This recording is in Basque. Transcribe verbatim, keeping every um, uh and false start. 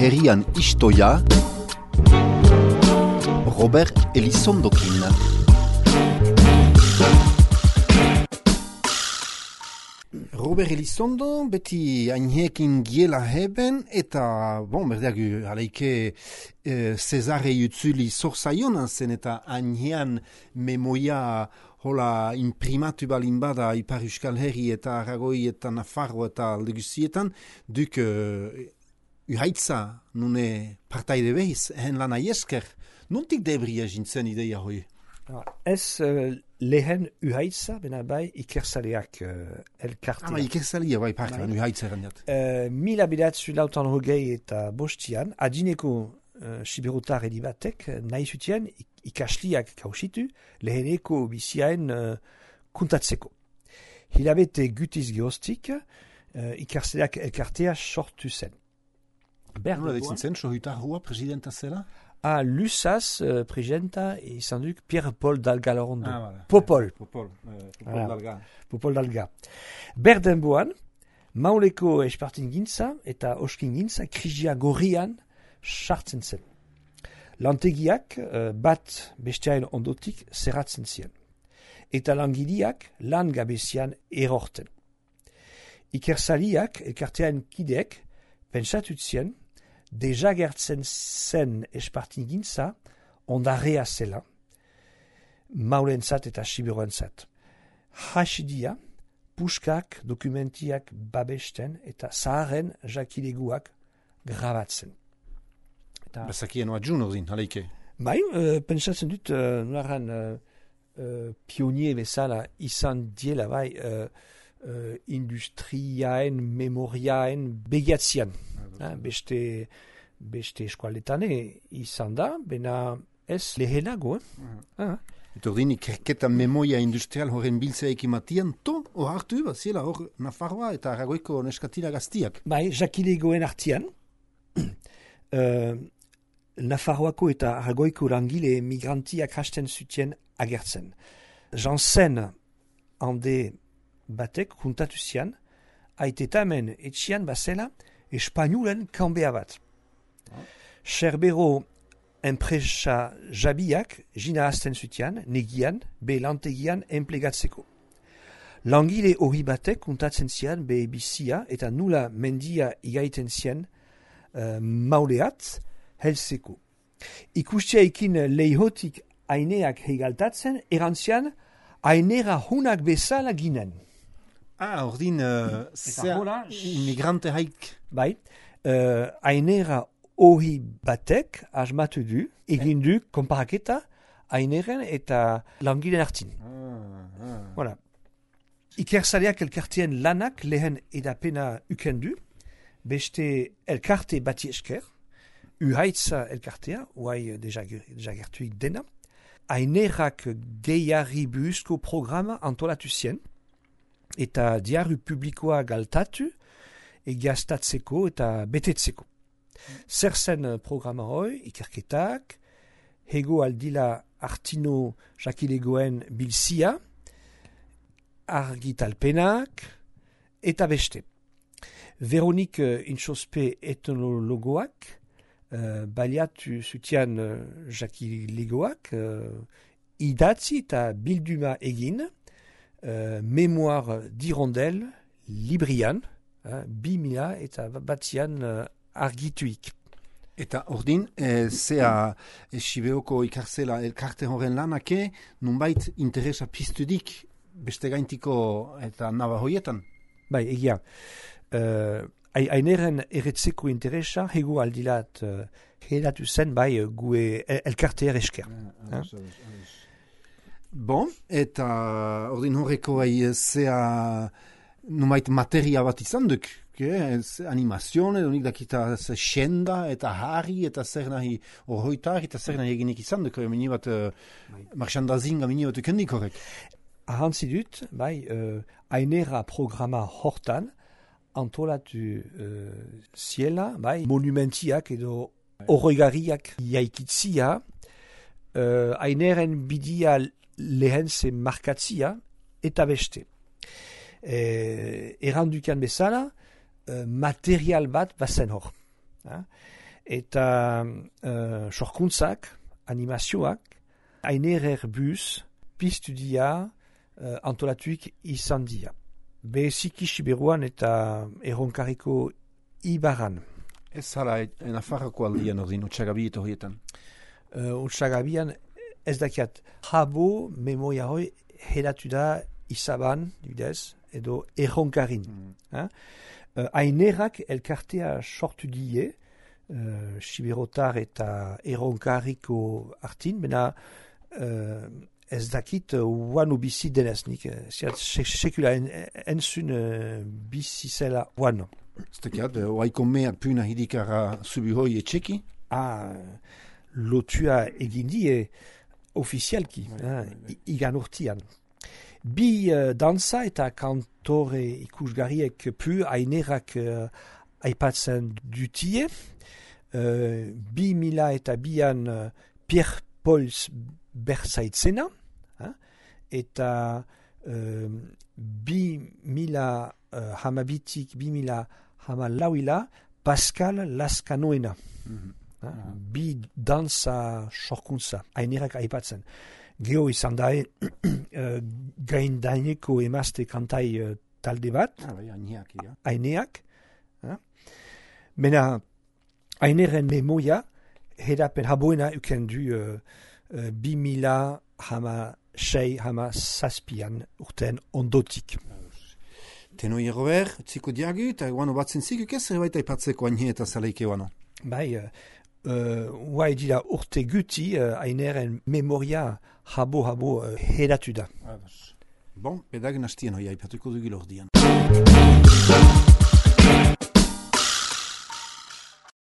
herrian istoia Robert Elizondokin. Robert Elizondo beti aineekin giela heben eta, bon, berdeak aleike e, Cesare utzuli zorzaiona zen eta ainean memoia hola imprimatu balin bada Ipar Euskal Herri eta Aragoi eta Nafarro eta alde guztietan, duk uh, uhaitza nune partaide behiz, hen lan aiesker. Nontik debria jintzen ideia hoi? Ez uh, lehen uhaitza, bena bai ikersaleak uh, elkartea. Ah, ikersalia bai partean uhaitza erandiat. Uh, mila bidatzu lautan hogei eta bostian, adineko uh, siberotar edibatek, nahi zutien ikasliak kausitu, leheneko biziaen uh, kuntatzeko. Hilabete gutiz geostik, uh, ikersaleak elkartea sortu zen. Nola ditzen zen, sohutar hua presidenta zela? Ah, Lusas, uh, presidenta, izan duk Pierre-Paul Dalga-Lorondo. Ah, voilà. Popol. Popol, euh, Popol Voilà. Dalga. Popol Dalga. Berdenboan, mauleko espartin gintza eta oskin gintza krisia gorrian sartzen zen. Lantegiak uh, bat besteain ondotik zerratzen ziren. Eta langileak lan gabezian erorten. Ikersaliak, elkartean kideek, pentsatut zien, deja gertzen zen espartin gintza, ondarea zela, maulentzat eta siberoentzat. Hasidia, puskak, dokumentiak babesten eta zaharen jakileguak grabatzen. Eta, Bazakien oa djun ordin, aleike. bai, uh, pentsatzen dut, uh, nolaran uh, uh, pionier bezala izan diela, bai, uh, uh, industriaen, memoriaen begiatzian. Ah, beste, beste eskualetan izan da, bena ez lehenago. Eh? Ah. Eta ordin ikerketa memoria industrial horren biltzea ekimatian, to, hor hartu, baziela hor Nafarroa eta Aragoiko neskatila gaztiak. Bai, jakilegoen artian, uh, Nafarroako eta Aragoiko langile migrantiak hasten zutien agertzen. Jansen hande batek juntatu zian, aitetamen etxian bazela espainulen kanbea bat. Cerbero enpresa jabiak jina hasten zutian, negian, be lantegian enplegatzeko. Langile hori batek kontatzen zian be bizia eta nula mendia igaiten zian uh, mauleat helzeko. Ikustiaikin leihotik aineak hegaltatzen, erantzian ainera hunak bezala ginen. Ah, ordin, uh, zer hola, imigrante haik. Bai, uh, ainera hori batek asmatu du, egin du konparaketa aineren eta langileen artin. Ah, ah. Voilà. Ikersaleak elkartean lanak lehen edapena ukendu, beste elkarte bati esker, uhaitza elkartea, uai deja, deja gertuik dena, ainerak gehiari buhuzko programa antolatu zien, eta diaru publikoa galtatu, egiaztatzeko eta betetzeko. Zer zen programa hoi, ikerketak, hego aldila artino jakilegoen bilzia, argitalpenak, eta beste. Veronik uh, Intxospe etnologoak, uh, baliatu zutian uh, jakilegoak, uh, idatzi eta bilduma egin, uh, memoar dirondel, librian, uh, bi mila eta batzian uh, argituik. Eta ordin, e, zea e, Sibeoko ikarzela elkarte horren lanake, nunbait interesa piztudik beste gaintiko eta naba hoietan? Bai, egia. Uh, Aineren erretzeko interesa, hego aldilat uh, hedatu zen, bai, gue elkarteer esker. Ah, ah, bon, eta ordin horreko bai, zea nunbait materia bat izan duk, animazione, donik dakita xenda eta harri eta zer nahi horroitar eta zer nahi eginik izan duk, mini bat uh, marxandazinga mini bat ukendik horrek. Ahantzi dut, bai, uh, ainera programa hortan, antolatu uh, ziela, bai, monumentiak edo horregariak jaikitzia, uh, aineren bidia lehen ze markatzia eta beste. Eh, errandukan bezala, uh, material bat bazen hor. Ha? eta uh, sorkuntzak, animazioak, Ainerer bus, pistudia, uh, antolatuik izan dira. Beziki Siberuan eta erronkariko Ibaran. Ez zara, Nafarroko aldian ordin, Otsagabi eta horietan? Uh, Otsagabian ez dakiat, jabo memoria hoi heratu da Izaban, dibidez, edo erronkarin. Mm. Uh, Ainerak elkartea sortu die, uh, Siberotar eta erronkariko artin, bena uh, ez dakit uanu uh, bizi deneznik. Ziat, sekula en, entzun uh, bizi zela uanu. Ez dakiat, oaiko mea puna hidikara subihoi etxeki? Ah, lotua egindie ofizialki, ah, igan urtian. Bi uh, dansa eta kantore ikusgarriek pu Ainerak uh, aipatzen dutie. Uh, bi mila eta bian uh, Pierre Pauls berzaitzena. Uh, eta uh, bi mila uh, hamabitik, bi mila hamalauila Pascal Laskanoena. Mm-hmm. Uh, uh-huh. Bi dansa sorkuntza Ainerak aipatzen. Geo izan da uh, gaindaineko emazte kantai uh, talde bat. Ah, bai, aineak, ja. Aineak. Uh. Mena, Aineren memoia, hedapen haboena uken du uh, uh, bi mila hama sei hama zazpian urten ondotik. Tenoi Robert, txiko diagu, eta guano batzen zikuk ez, zerbait aipatzeko aine eta zaleike guano. Bai, uh, uh, guai dira urte guti, uh, Aineren memoria habo-habo uh, hedatu da. Bon, pedag nastien hoi aipatuko dugil ordian.